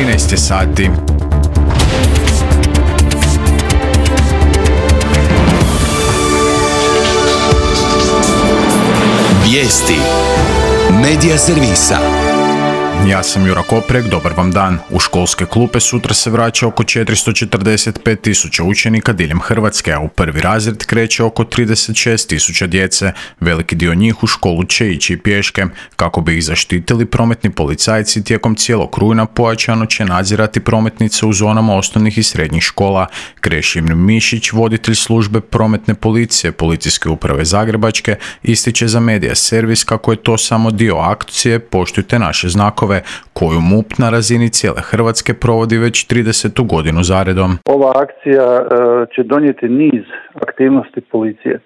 13 sati. Vijesti Medija servisa. Ja sam Jura Koprek, dobar vam dan. U školske klupe sutra se vraća oko 445.000 učenika diljem Hrvatske, a u prvi razred kreće oko 36.000 djece. Veliki dio njih u školu će ići pješke. Kako bi ih zaštitili, prometni policajci tijekom cijelog rujna pojačano će nadzirati prometnice u zonama osnovnih i srednjih škola. Krešimir Mišić, voditelj službe prometne policije Policijske uprave Zagrebačke, ističe za Medija servis kako je to samo dio akcije Poštujte naše znakove, koju MUP na razini cijele Hrvatske provodi već 30. godinu zaredom. Ova akcija će donijeti niz aktivnosti policije.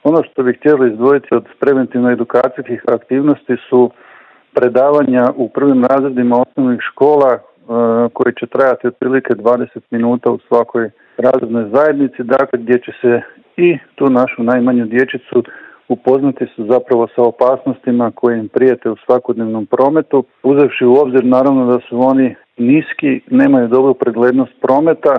Ono što bih htjeli izdvojiti od preventivno-edukacijskih aktivnosti su predavanja u prvim razredima osnovnih škola koji će trajati otprilike 20 minuta u svakoj razrednoj zajednici, dakle gdje će se i tu našu najmanju dječicu upoznati su zapravo sa opasnostima koje im prijete u svakodnevnom prometu, uzevši u obzir naravno da su oni niski, nemaju dobru preglednost prometa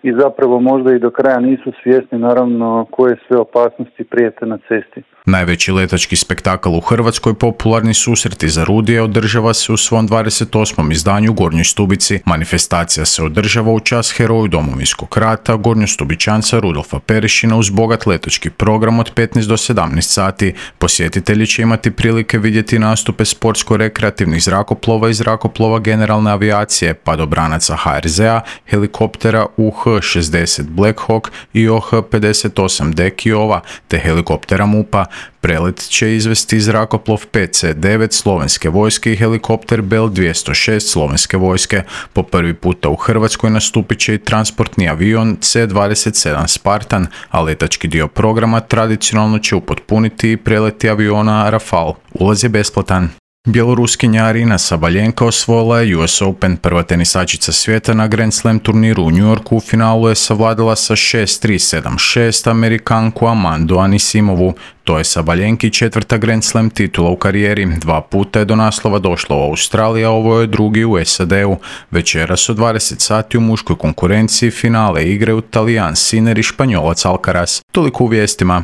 i zapravo možda i do kraja nisu svjesni naravno koje sve opasnosti prijete na cesti. Najveći letački spektakl u Hrvatskoj, popularni susreti za Rudije, održava se u svom 28. izdanju u Gornjoj Stubici. Manifestacija se održava u čast heroju Domovinskog rata, gornjostubičanca Rudolfa Perešina, uz bogat letački program od 15 do 17 sati. Posjetitelji će imati prilike vidjeti nastupe sportsko-rekreativnih zrakoplova i zrakoplova generalne avijacije, padobranaca HRZ-a, helikoptera UH-60 Black Hawk i OH-58D Kiowa, te helikoptera MUP-a. Prelet će izvesti zrakoplov PC-9 slovenske vojske i helikopter Bell-206 slovenske vojske. Po prvi puta u Hrvatskoj nastupit će i transportni avion C-27 Spartan, a letački dio programa tradicionalno će upotpuniti i preleti aviona Rafale. Ulaz je besplatan. Bjeloruskinja Arina Sabaljenka osvojila je US Open. Prva tenisačica svijeta na Grand Slam turniru u New Yorku u finalu je savladala sa 6-3, 7-6 Amerikanku Amandu Anisimovu. To je Sabaljenki četvrta Grand Slam titula u karijeri. 2 puta je do naslova došla u Australiji, a ovo je drugi u SAD-u. Večeras od 20 sati u muškoj konkurenciji finale igraju Talijan Sinner i Španjolac Alcaraz. Toliko u vijestima.